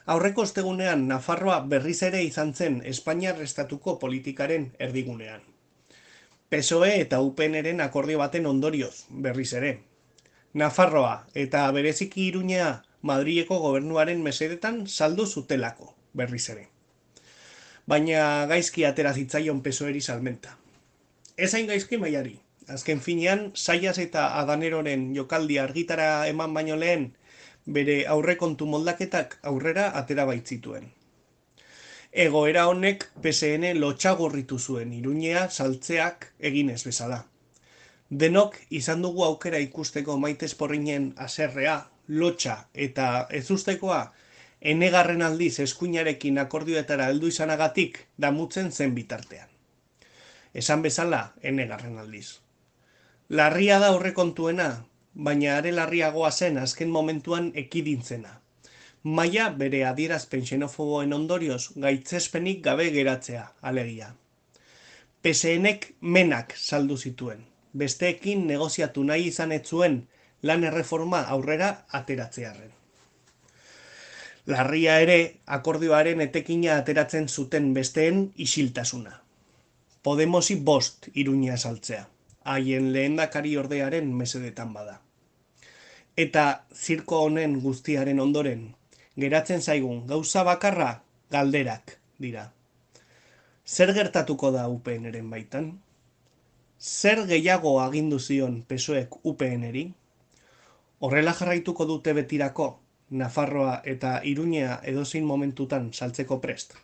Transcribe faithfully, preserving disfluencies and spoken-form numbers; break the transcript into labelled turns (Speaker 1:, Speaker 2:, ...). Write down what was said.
Speaker 1: Aurreko ostegunean Nafarroa berriz ere izan zen Espainiar estatuko politikaren erdigunean. P S O E eta U P Nren akordio baten ondorioz, berriz ere. Nafarroa eta bereziki Iruñea Madrileko gobernuaren mesedetan saldu zutelako, berriz ere. Baina gaizki atera zitzaion P S O E-ri salmenta. Ez hain gaizki mailari. Azken finean, Saias eta Adaneroren jokaldi argitara eman baino lehen, bere aurrekontu moldaketak aurrera atera baitzituen. Egoera honek P S N lotxagorritu zuen Iruñea saltzeak eginez bezala. Denok izan dugu aukera ikusteko Maite Esporrinen haserrea, lotxa eta ezustekoa, enegarren aldiz eskuinarekin akordioetara heldu izanagatik damutzen zen bitartean. Esan bezala, enegarren aldiz. Larria da aurrekontuena, baina are larriagoa zen azken momentuan ekidintzena. Maila bere adierazpen xenofoboen ondorioz gaitzespenik gabe geratzea, alegia. P SNek menak saldu zituen, besteekin negoziatu nahi izan ez zuen lan erreforma aurrera ateratzearren. Larria ere, akordioaren etekina ateratzen zuten besteen isiltasuna. Podemosi bost Iruñea saltzea, haien lehendakari ordearen mesedetan bada. Eta zirko honen guztiaren ondoren, geratzen zaigun gauza bakarra galderak dira. Zer gertatuko da U P Nren baitan? Zer gehiago agindu zion P S O Ek U P Nri? Horrela jarraituko dute betirako, Nafarroa eta Iruñea edozein momentutan saltzeko prest.